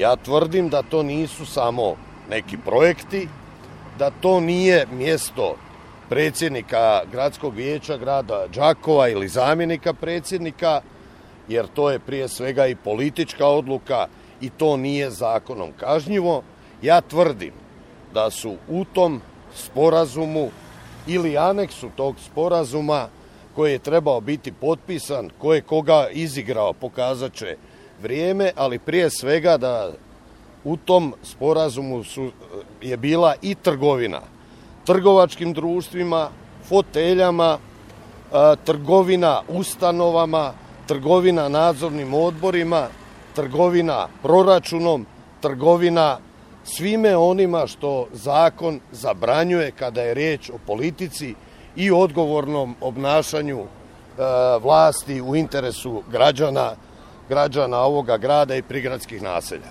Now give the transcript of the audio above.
Ja tvrdim da to nisu samo neki projekti, da to nije mjesto predsjednika gradskog vijeća grada Đakova ili zamjenika predsjednika, jer to je prije svega i politička odluka i to nije zakonom kažnjivo. Ja tvrdim da su u tom sporazumu ili aneksu tog sporazuma koji je trebao biti potpisan, ko je koga izigrao pokazat će vrijeme, ali prije svega da u tom sporazumu je bila i trgovina trgovačkim društvima, foteljama, trgovina ustanovama, trgovina nadzornim odborima, trgovina proračunom, trgovina svime onima što zakon zabranjuje kada je riječ o politici i odgovornom obnašanju vlasti u interesu građana ovoga grada i prigradskih naselja.